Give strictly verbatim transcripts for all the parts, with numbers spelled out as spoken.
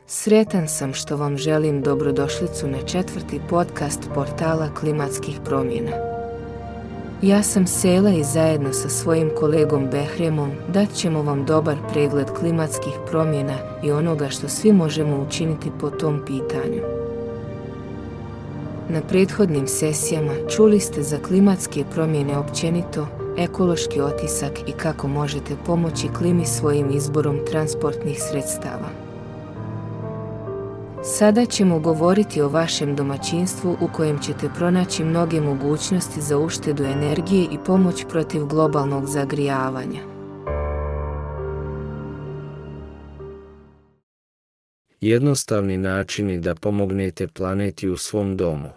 Sretan sam što vam želim dobrodošlicu na četvrti podcast portala klimatskih promjena. Ja sam Sela i zajedno sa svojim kolegom Behremom dat ćemo vam dobar pregled klimatskih promjena i onoga što svi možemo učiniti po tom pitanju. Na prethodnim sesijama čuli ste za klimatske promjene općenito, ekološki otisak i kako možete pomoći klimi svojim izborom transportnih sredstava. Sada ćemo govoriti o vašem domaćinstvu u kojem ćete pronaći mnoge mogućnosti za uštedu energije i pomoć protiv globalnog zagrijavanja. Jednostavni načini da pomognete planeti u svom domu.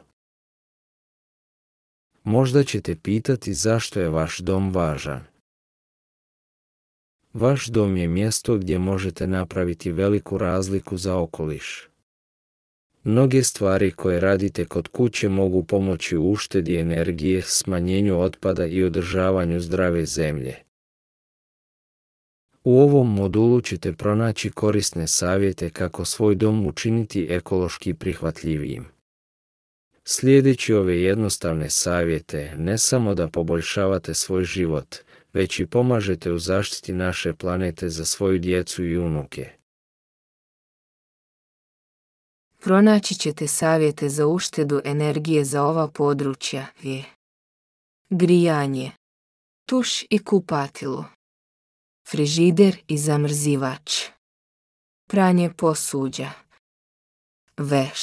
Možda ćete pitati zašto je vaš dom važan. Vaš dom je mjesto gdje možete napraviti veliku razliku za okoliš. Mnoge stvari koje radite kod kuće mogu pomoći u uštedi energije, smanjenju otpada i održavanju zdrave zemlje. U ovom modulu ćete pronaći korisne savjete kako svoj dom učiniti ekološki prihvatljivijim. Slijedeći ove jednostavne savjete, ne samo da poboljšavate svoj život, već i pomažete u zaštiti naše planete za svoju djecu i unuke. Pronaći ćete savjete za uštedu energije za ova područja je grijanje, tuš i kupatilo, frižider i zamrzivač, pranje posuđa, veš,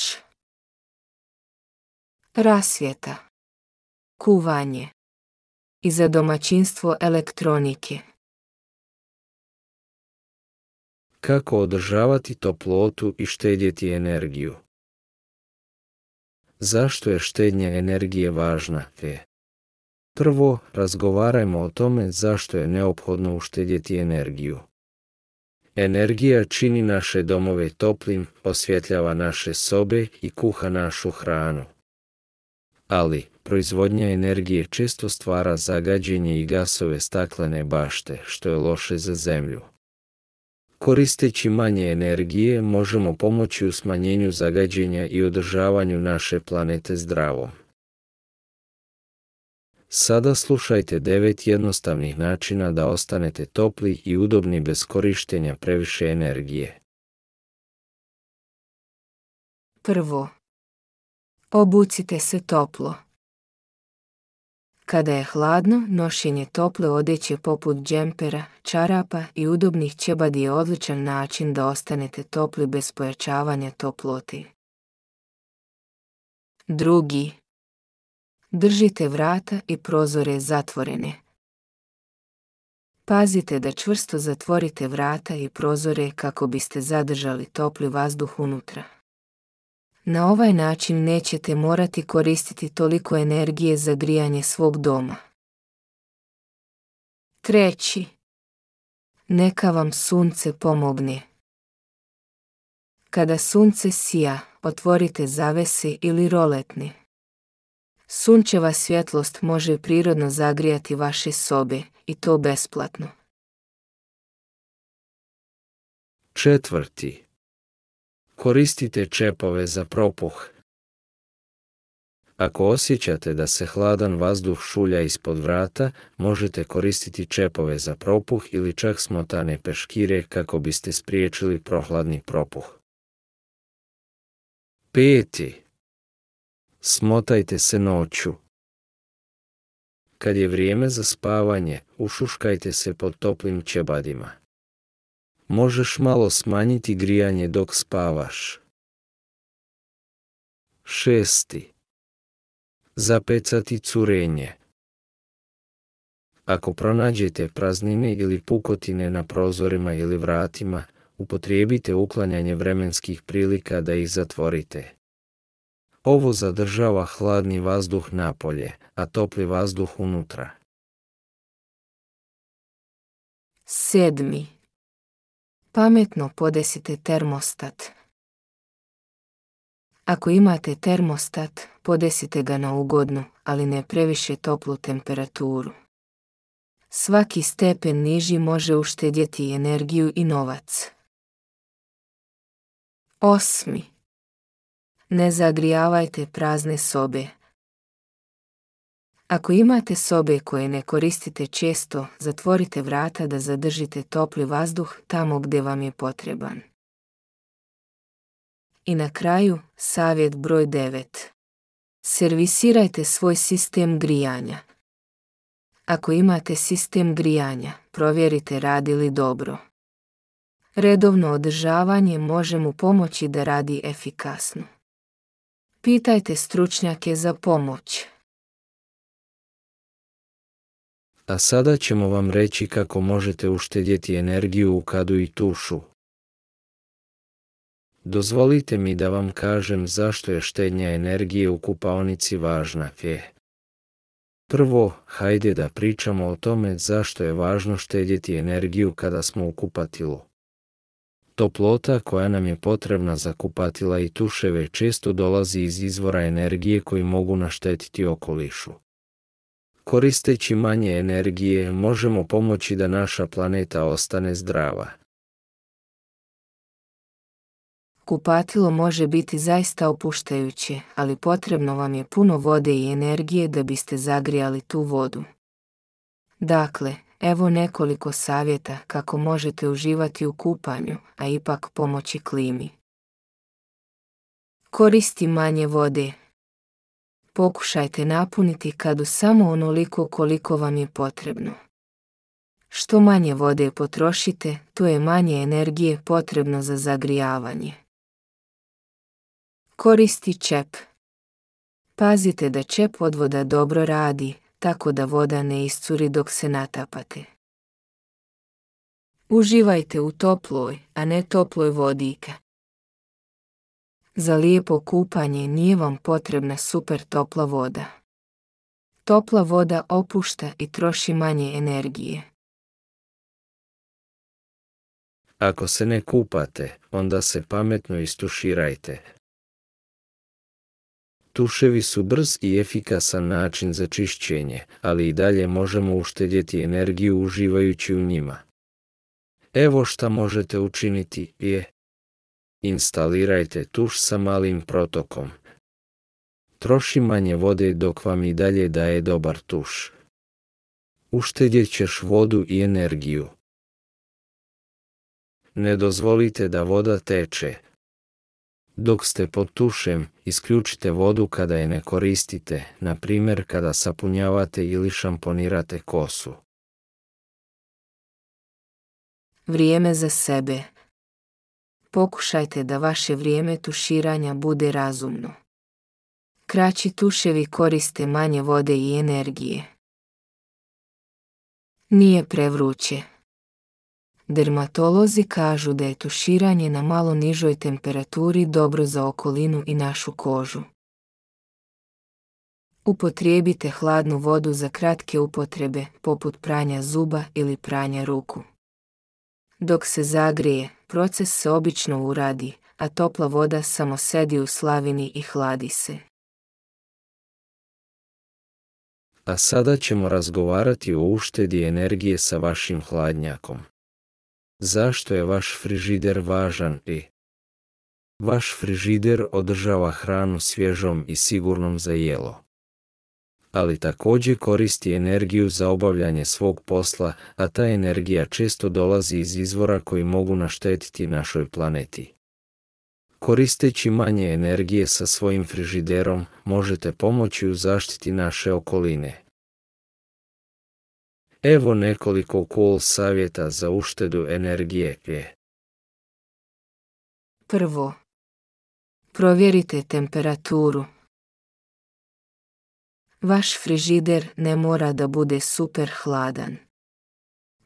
rasvjeta, kuvanje i za domaćinstvo elektronike. Kako održavati toplotu i štedjeti energiju? Zašto je štednja energije važna? E. Prvo, razgovarajmo o tome zašto je neophodno uštedjeti energiju. Energija čini naše domove toplim, osvjetljava naše sobe i kuha našu hranu. Ali, proizvodnja energije često stvara zagađenje i gasove staklene bašte, što je loše za zemlju. Koristeći manje energije možemo pomoći u smanjenju zagađenja i održavanju naše planete zdravom. Sada slušajte devet jednostavnih načina da ostanete topli i udobni bez korištenja previše energije. Prvo, obucite se toplo. Kada je hladno, nošenje tople odjeće poput džempera, čarapa i udobnih ćebadi je odličan način da ostanete topli bez pojačavanja toplote. Drugi, držite vrata i prozore zatvorene. Pazite da čvrsto zatvorite vrata i prozore kako biste zadržali topli vazduh unutra. Na ovaj način nećete morati koristiti toliko energije za grijanje svog doma. Treći, neka vam sunce pomogne. Kada sunce sija, otvorite zavese ili roletne. Sunčeva svjetlost može prirodno zagrijati vaše sobe i to besplatno. Četvrti. Koristite čepove za propuh. Ako osjećate da se hladan vazduh šulja ispod vrata, možete koristiti čepove za propuh ili čak smotane peškire kako biste spriječili prohladni propuh. Peti. Smotajte se noću. Kad je vrijeme za spavanje, ušuškajte se pod toplim ćebadima. Možeš malo smanjiti grijanje dok spavaš. Šesti. Zapecati curenje. Ako pronađete praznine ili pukotine na prozorima ili vratima, upotrijebite uklanjanje vremenskih prilika da ih zatvorite. Ovo zadržava hladni vazduh napolje, a topli vazduh unutra. Sedmi. Pametno podesite termostat. Ako imate termostat, podesite ga na ugodnu, ali ne previše toplu temperaturu. Svaki stepen niži može uštedjeti energiju i novac. Osmi. Ne zagrijavajte prazne sobe. Ako imate sobe koje ne koristite često, zatvorite vrata da zadržite topli vazduh tamo gdje vam je potreban. I na kraju, savjet broj devet. Servisirajte svoj sistem grijanja. Ako imate sistem grijanja, provjerite radi li dobro. Redovno održavanje može mu pomoći da radi efikasno. Pitajte stručnjake za pomoć. A sada ćemo vam reći kako možete uštedjeti energiju u kadu i tušu. Dozvolite mi da vam kažem zašto je štednja energije u kupaonici važna. Je. Prvo, hajde da pričamo o tome zašto je važno štedjeti energiju kada smo u kupatilu. Toplota koja nam je potrebna za kupatila i tuševe često dolazi iz izvora energije koji mogu naštetiti okolišu. Koristeći manje energije možemo pomoći da naša planeta ostane zdrava. Kupatilo može biti zaista opuštajuće, ali potrebno vam je puno vode i energije da biste zagrijali tu vodu. Dakle, evo nekoliko savjeta kako možete uživati u kupanju, a ipak pomoći klimi. Koristi manje vode. Pokušajte napuniti kadu samo onoliko koliko vam je potrebno. Što manje vode potrošite, to je manje energije potrebno za zagrijavanje. Koristi čep. Pazite da čep odvoda dobro radi, tako da voda ne iscuri dok se natapate. Uživajte u toploj, a ne toploj vodike. Za lijepo kupanje nije vam potrebna super topla voda. Topla voda opušta i troši manje energije. Ako se ne kupate, onda se pametno istuširajte. Tuševi su brz i efikasan način za čišćenje, ali i dalje možemo uštedjeti energiju uživajući u njima. Evo šta možete učiniti je: instalirajte tuš sa malim protokom. Troši manje vode dok vam i dalje daje dobar tuš. Uštedjet ćeš vodu i energiju. Ne dozvolite da voda teče. Dok ste pod tušem, isključite vodu kada je ne koristite, na primjer kada sapunjavate ili šamponirate kosu. Vrijeme za sebe. Pokušajte da vaše vrijeme tuširanja bude razumno. Kraći tuševi koriste manje vode i energije. Nije prevruće. Dermatolozi kažu da je tuširanje na malo nižoj temperaturi dobro za okolinu i našu kožu. Upotrijebite hladnu vodu za kratke upotrebe, poput pranja zuba ili pranja ruku. Dok se zagrije, proces se obično uradi, a topla voda samo sedi u slavini i hladi se. A sada ćemo razgovarati o uštedi energije sa vašim hladnjakom. Zašto je vaš frižider važan? I vaš frižider održava hranu svježom i sigurnom za jelo. Ali također koristi energiju za obavljanje svog posla, a ta energija često dolazi iz izvora koji mogu naštetiti našoj planeti. Koristeći manje energije sa svojim frižiderom, možete pomoći u zaštiti naše okoline. Evo nekoliko cool savjeta za uštedu energije. Prvo. Provjerite temperaturu. Vaš frižider ne mora da bude super hladan.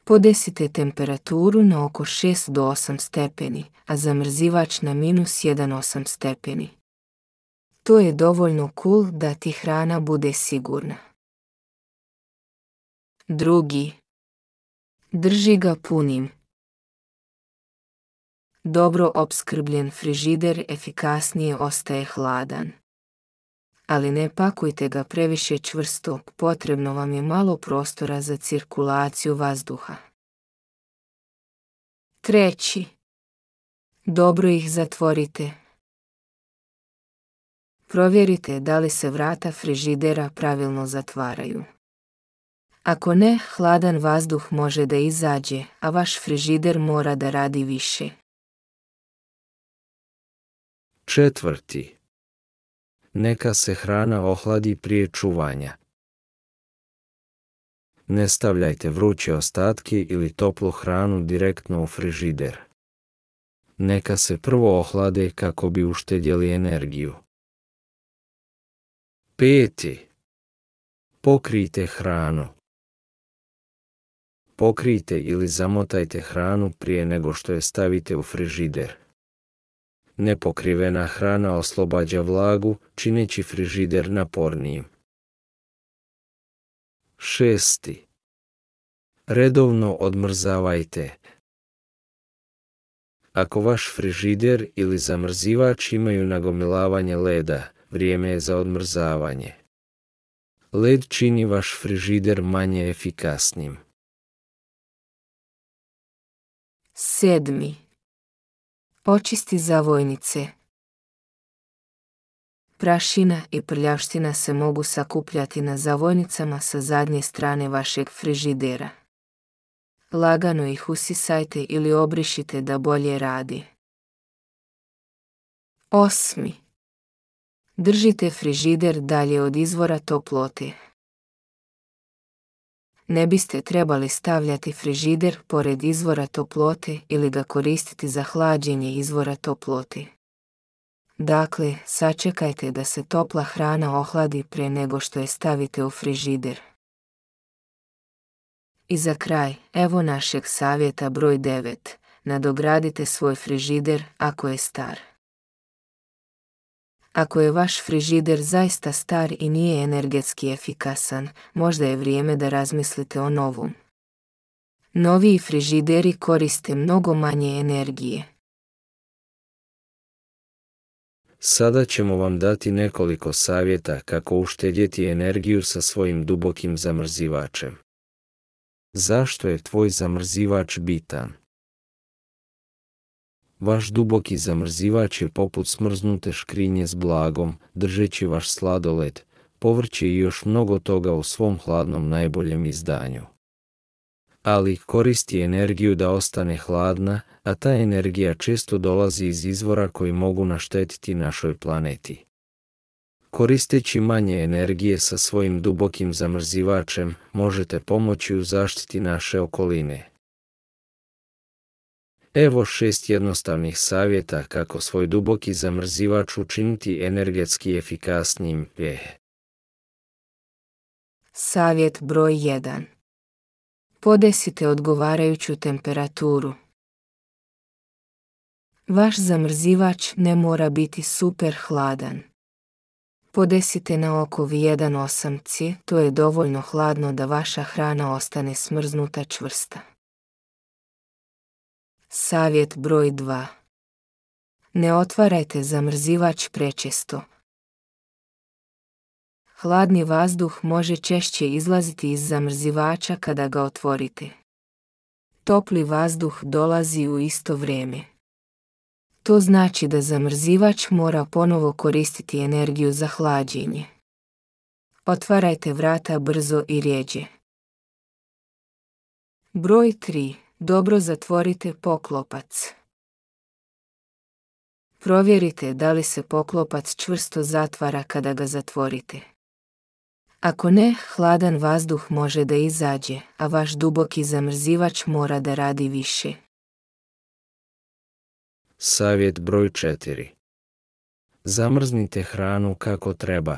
Podesite temperaturu na oko šest do osam stepeni, a zamrzivač na minus jedan zarez osam stepeni. To je dovoljno cool da ti hrana bude sigurna. Drugi. Drži ga punim. Dobro opskrbljen frižider efikasnije ostaje hladan. Ali ne pakujte ga previše čvrsto, potrebno vam je malo prostora za cirkulaciju vazduha. Treći. Dobro ih zatvorite. Provjerite da li se vrata frižidera pravilno zatvaraju. Ako ne, hladan vazduh može da izađe, a vaš frižider mora da radi više. Četvrti. Neka se hrana ohladi prije čuvanja. Ne stavljajte vruće ostatke ili toplu hranu direktno u frižider. Neka se prvo ohlade kako bi uštedjeli energiju. Peti. Pokrijte hranu. Pokrijte ili zamotajte hranu prije nego što je stavite u frižider. Nepokrivena hrana oslobađa vlagu, čineći frižider napornijim. Šesti. Redovno odmrzavajte. Ako vaš frižider ili zamrzivač imaju nagomilavanje leda, vrijeme je za odmrzavanje. Led čini vaš frižider manje efikasnim. Sedmi. Očisti zavojnice. Prašina i prljavština se mogu sakupljati na zavojnicama sa zadnje strane vašeg frižidera. Lagano ih usisajte ili obrišite da bolje radi. Osmi. Držite frižider dalje od izvora toplote. Ne biste trebali stavljati frižider pored izvora toplote ili ga koristiti za hlađenje izvora toplote. Dakle, sačekajte da se topla hrana ohladi prije nego što je stavite u frižider. I za kraj, evo našeg savjeta broj devet. Nadogradite svoj frižider ako je star. Ako je vaš frižider zaista star i nije energetski efikasan, možda je vrijeme da razmislite o novom. Noviji frižideri koriste mnogo manje energije. Sada ćemo vam dati nekoliko savjeta kako uštedjeti energiju sa svojim dubokim zamrzivačem. Zašto je tvoj zamrzivač bitan? Vaš duboki zamrzivač je poput smrznute škrinje s blagom, držeći vaš sladoled, povrće i još mnogo toga u svom hladnom najboljem izdanju. Ali koristi energiju da ostane hladna, a ta energija često dolazi iz izvora koji mogu naštetiti našoj planeti. Koristeći manje energije sa svojim dubokim zamrzivačem, možete pomoći u zaštiti naše okoline. Evo šest jednostavnih savjeta kako svoj duboki zamrzivač učiniti energetski efikasnijim. Savjet broj jedan. Podesite odgovarajuću temperaturu. Vaš zamrzivač ne mora biti super hladan. Podesite na oko jedan zarez osam C, to je dovoljno hladno da vaša hrana ostane smrznuta čvrsta. Savjet broj dva. Ne otvarajte zamrzivač prečesto. Hladni vazduh može češće izlaziti iz zamrzivača kada ga otvorite. Topli vazduh dolazi u isto vrijeme. To znači da zamrzivač mora ponovo koristiti energiju za hlađenje. Otvarajte vrata brzo i rjeđe. Broj tri. Dobro zatvorite poklopac. Provjerite da li se poklopac čvrsto zatvara kada ga zatvorite. Ako ne, hladan vazduh može da izađe, a vaš duboki zamrzivač mora da radi više. Savjet broj četiri. Zamrznite hranu kako treba.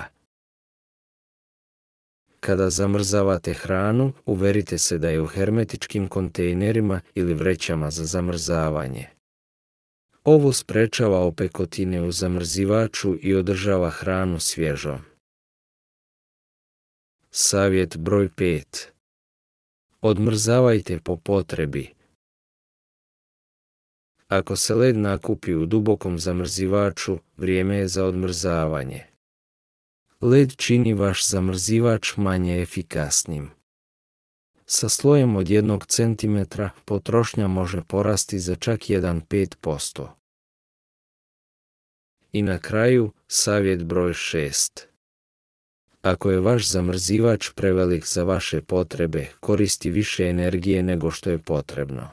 Kada zamrzavate hranu, uverite se da je u hermetičkim kontejnerima ili vrećama za zamrzavanje. Ovo sprečava opekotine u zamrzivaču i održava hranu svježom. Savjet broj pet. Odmrzavajte po potrebi. Ako se led nakupi u dubokom zamrzivaču, vrijeme je za odmrzavanje. Led čini vaš zamrzivač manje efikasnim. Sa slojem od jednog centimetra potrošnja može porasti za čak jedan zarez pet posto. I na kraju, savjet broj šest. Ako je vaš zamrzivač prevelik za vaše potrebe, koristi više energije nego što je potrebno.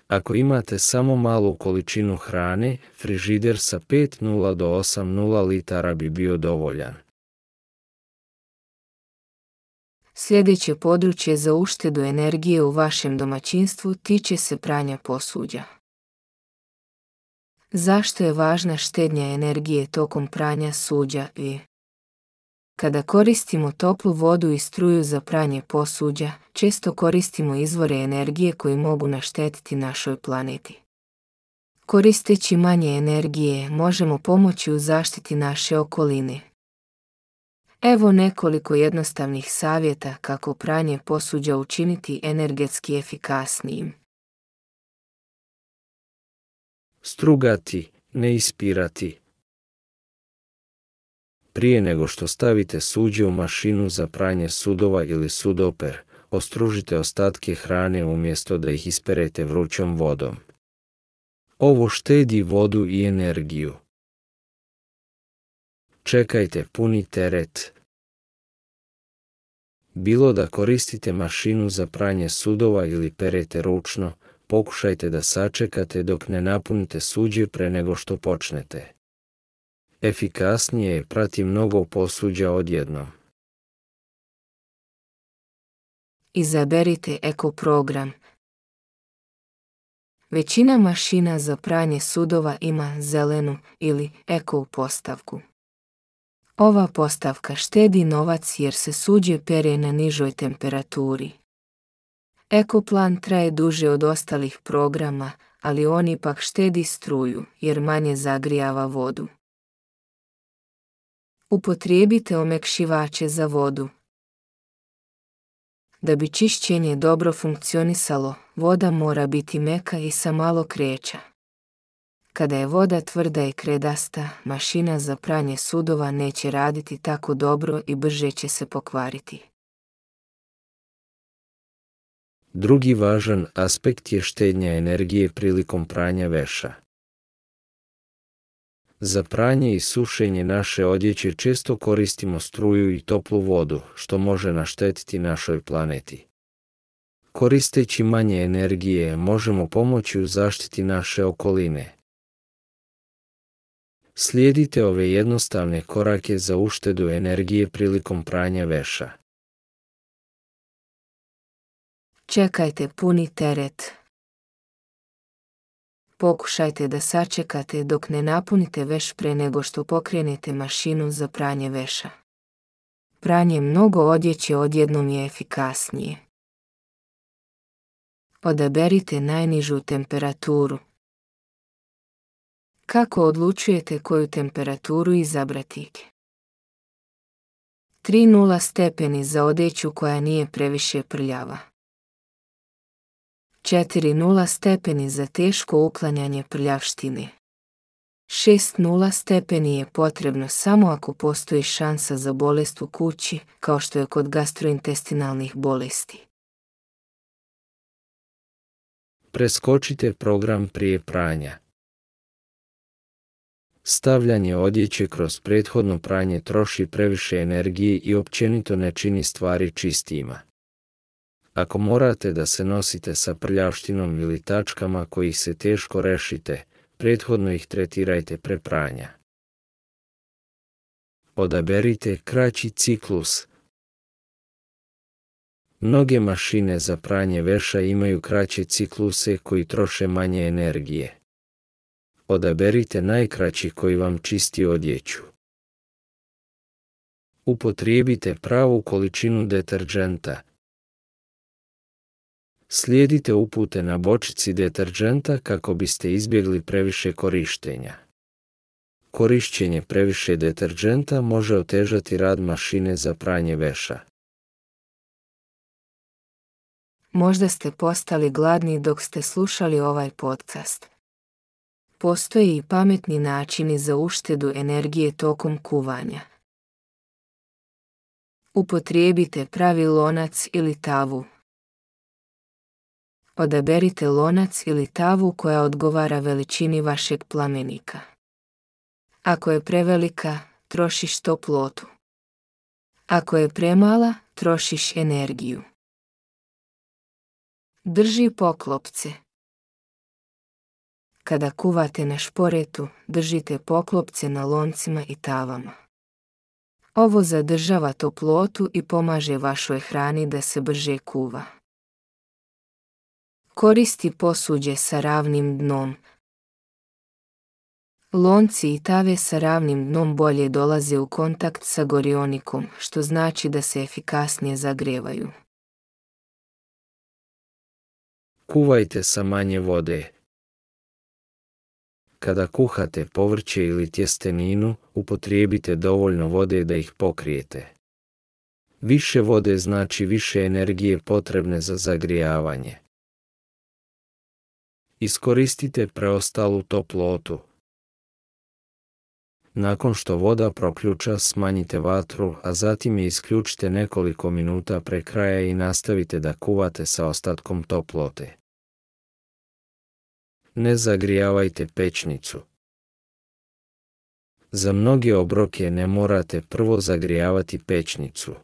Ako imate samo malu količinu hrane, frižider sa pet do osam litara bi bio dovoljan. Sljedeće područje za uštedu energije u vašem domaćinstvu tiče se pranja posuđa. Zašto je važna štednja energije tokom pranja suđa i kada koristimo toplu vodu i struju za pranje posuđa, često koristimo izvore energije koji mogu naštetiti našoj planeti. Koristeći manje energije, možemo pomoći u zaštiti naše okoline. Evo nekoliko jednostavnih savjeta kako pranje posuđa učiniti energetski efikasnijim. Strugati, ne ispirati. Prije nego što stavite suđe u mašinu za pranje sudova ili sudoper, ostružite ostatke hrane umjesto da ih isperete vrućom vodom. Ovo štedi vodu i energiju. Čekajte puni teret. Bilo da koristite mašinu za pranje sudova ili perete ručno, pokušajte da sačekate dok ne napunite suđe pre nego što počnete. Efikasnije je prati mnogo posuđa odjednom. Izaberite eko program. Većina mašina za pranje sudova ima zelenu ili eko postavku. Ova postavka štedi novac jer se suđe pere na nižoj temperaturi. Eko plan traje duže od ostalih programa, ali on ipak štedi struju jer manje zagrijava vodu. Upotrijebite omekšivače za vodu. Da bi čišćenje dobro funkcionisalo, voda mora biti meka i sa malo kreća. Kada je voda tvrda i kredasta, mašina za pranje sudova neće raditi tako dobro i brže će se pokvariti. Drugi važan aspekt je štednja energije prilikom pranja veša. Za pranje i sušenje naše odjeće često koristimo struju i toplu vodu, što može naštetiti našoj planeti. Koristeći manje energije, možemo pomoći u zaštiti naše okoline. Slijedite ove jednostavne korake za uštedu energije prilikom pranja veša. Čekajte puni teret. Pokušajte da sačekate dok ne napunite veš pre nego što pokrenete mašinu za pranje veša. Pranje mnogo odjeće odjednom je efikasnije. Odaberite najnižu temperaturu. Kako odlučujete koju temperaturu izabrati? tri nula stepeni za odjeću koja nije previše prljava. četiri nula stepeni za teško uklanjanje prljavštine. šest nula stepeni je potrebno samo ako postoji šansa za bolest u kući, kao što je kod gastrointestinalnih bolesti. Preskočite program prije pranja. Stavljanje odjeće kroz prethodno pranje troši previše energije i općenito ne čini stvari čistijima. Ako morate da se nosite sa prljavštinom ili tačkama kojih se teško rešite, prethodno ih tretirajte pre pranja. Odaberite kraći ciklus. Mnoge mašine za pranje veša imaju kraće cikluse koji troše manje energije. Odaberite najkraći koji vam čisti odjeću. Upotrijebite pravu količinu deterdženta. Slijedite upute na bočici deterdženta kako biste izbjegli previše korištenja. Korišćenje previše deterdženta može otežati rad mašine za pranje veša. Možda ste postali gladni dok ste slušali ovaj podcast. Postoje i pametni načini za uštedu energije tokom kuvanja. Upotrijebite pravi lonac ili tavu. Odaberite lonac ili tavu koja odgovara veličini vašeg plamenika. Ako je prevelika, trošiš toplotu. Ako je premala, trošiš energiju. Drži poklopce. Kada kuvate na šporetu, držite poklopce na loncima i tavama. Ovo zadržava toplotu i pomaže vašoj hrani da se brže kuva. Koristi posuđe sa ravnim dnom. Lonci i tave sa ravnim dnom bolje dolaze u kontakt sa gorionikom, što znači da se efikasnije zagrevaju. Kuvajte sa manje vode. Kada kuhate povrće ili tjesteninu, upotrijebite dovoljno vode da ih pokrijete. Više vode znači više energije potrebne za zagrijavanje. Iskoristite preostalu toplotu. Nakon što voda proključa, smanjite vatru, a zatim je isključite nekoliko minuta pre kraja i nastavite da kuvate sa ostatkom toplote. Ne zagrijavajte pećnicu. Za mnoge obroke ne morate prvo zagrijavati pećnicu.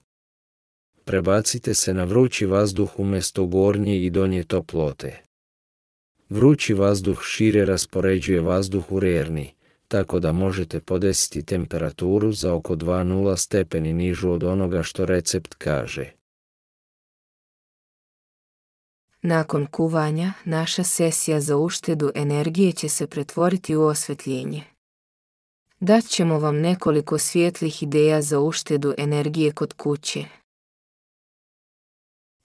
Prebacite se na vrući vazduh umjesto gornje i donje toplote. Vrući vazduh šire raspoređuje vazduh u rerni, tako da možete podesiti temperaturu za oko dva zarez nula stepeni nižu od onoga što recept kaže. Nakon kuvanja, naša sesija za uštedu energije će se pretvoriti u osvjetljenje. Dat ćemo vam nekoliko svijetlih ideja za uštedu energije kod kuće.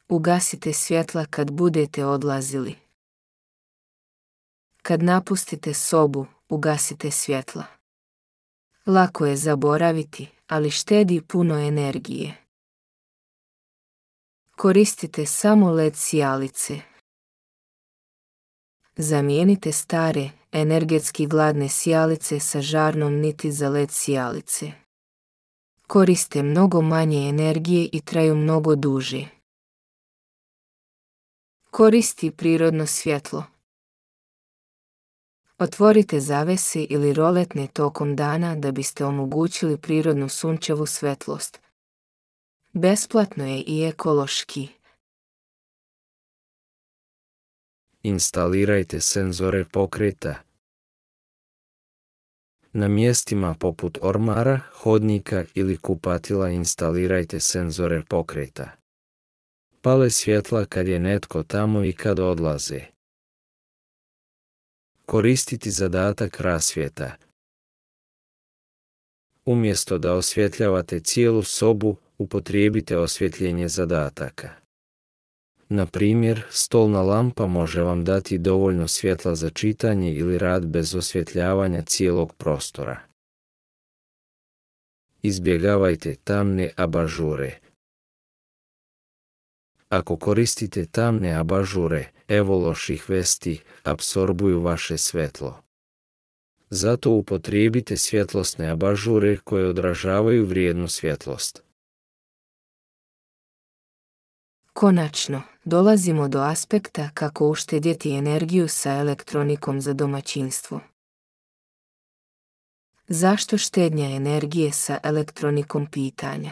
Ugasite svjetla kad budete odlazili. Kad napustite sobu, ugasite svjetla. Lako je zaboraviti, ali štedi puno energije. Koristite samo el e de sijalice. Zamijenite stare, energetski gladne sijalice sa žarnom niti za el e de sijalice. Koriste mnogo manje energije i traju mnogo duže. Koristi prirodno svjetlo. Otvorite zavese ili roletne tokom dana da biste omogućili prirodnu sunčevu svetlost. Besplatno je i ekološki. Instalirajte senzore pokreta. Na mjestima poput ormara, hodnika ili kupatila instalirajte senzore pokreta. Pale svjetla kad je netko tamo i kad odlaze. Koristiti zadatak rasvjeta. Umjesto da osvjetljavate cijelu sobu, upotrijebite osvjetljenje zadataka. Na primjer, stolna lampa može vam dati dovoljno svjetla za čitanje ili rad bez osvjetljavanja cijelog prostora. Izbjegavajte tamne abažure. Ako koristite tamne abažure, evo loših vesti, apsorbuju vaše svjetlo. Zato upotrijebite svjetlosne abažure koje odražavaju vrijednu svjetlost. Konačno, dolazimo do aspekta kako uštedjeti energiju sa elektronikom za domaćinstvo. Zašto štednja energije sa elektronikom pitanja?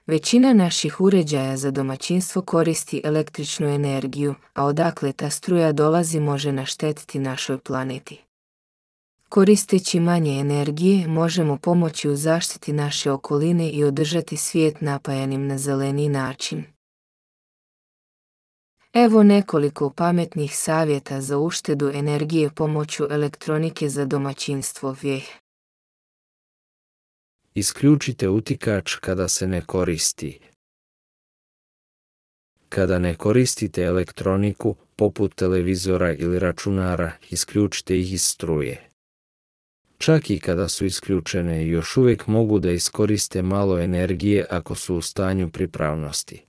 Većina naših uređaja za domaćinstvo koristi električnu energiju, a odakle ta struja dolazi može naštetiti našoj planeti. Koristeći manje energije možemo pomoći u zaštiti naše okoline i održati svijet napajanim na zeleni način. Evo nekoliko pametnih savjeta za uštedu energije pomoću elektronike za domaćinstvo. Isključite utikač kada se ne koristi. Kada ne koristite elektroniku, poput televizora ili računara, isključite ih iz struje. Čak i kada su isključene, još uvijek mogu da iskoriste malo energije ako su u stanju pripravnosti.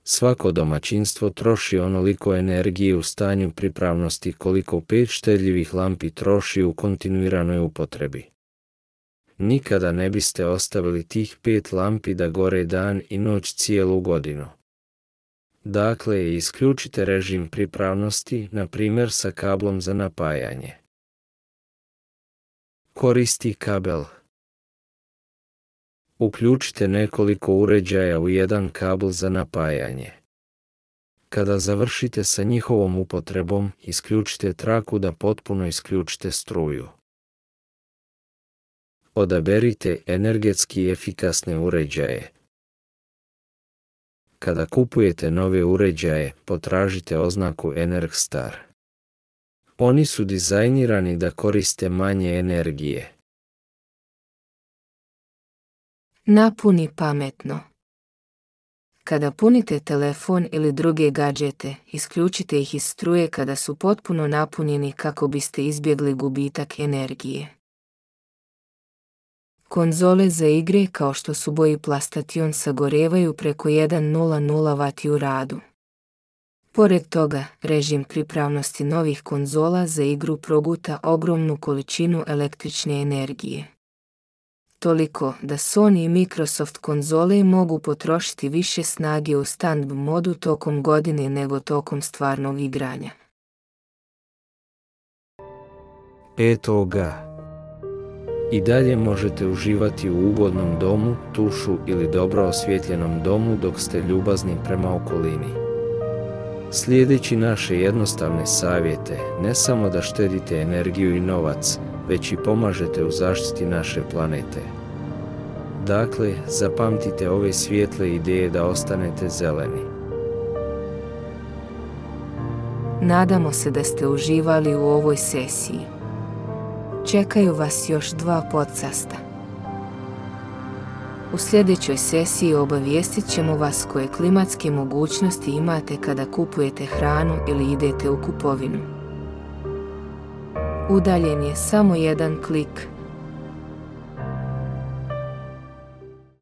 Svako domaćinstvo troši onoliko energije u stanju pripravnosti koliko pet štedljivih lampi troši u kontinuiranoj upotrebi. Nikada ne biste ostavili tih pet lampi da gore dan i noć cijelu godinu. Dakle, isključite režim pripravnosti, na primjer sa kablom za napajanje. koristi kabel. Uključite nekoliko uređaja u jedan kabel za napajanje. Kada završite sa njihovom upotrebom, isključite traku da potpuno isključite struju. Odaberite energetski efikasne uređaje. Kada kupujete nove uređaje, potražite oznaku EnergStar. Oni su dizajnirani da koriste manje energije. Napuni pametno. Kada punite telefon ili druge gadžete, isključite ih iz struje kada su potpuno napunjeni kako biste izbjegli gubitak energije. Konzole za igre kao što su boji PlayStation sagorevaju preko sto vati u radu. Pored toga, režim pripravnosti novih konzola za igru proguta ogromnu količinu električne energije. Toliko da Sony i Microsoft konzole mogu potrošiti više snage u stand modu tokom godine nego tokom stvarnog igranja. Eto ga. I dalje možete uživati u ugodnom domu, tušu ili dobro osvjetljenom domu dok ste ljubazni prema okolini. Slijedeći naše jednostavne savjete, ne samo da štedite energiju i novac, već i pomažete u zaštiti naše planete. Dakle, zapamtite ove svijetle ideje da ostanete zeleni. Nadamo se da ste uživali u ovoj sesiji. Čekaju vas još dva podcasta. U sljedećoj sesiji obavijestit ćemo vas koje klimatske mogućnosti imate kada kupujete hranu ili idete u kupovinu. Udaljen je samo jedan klik.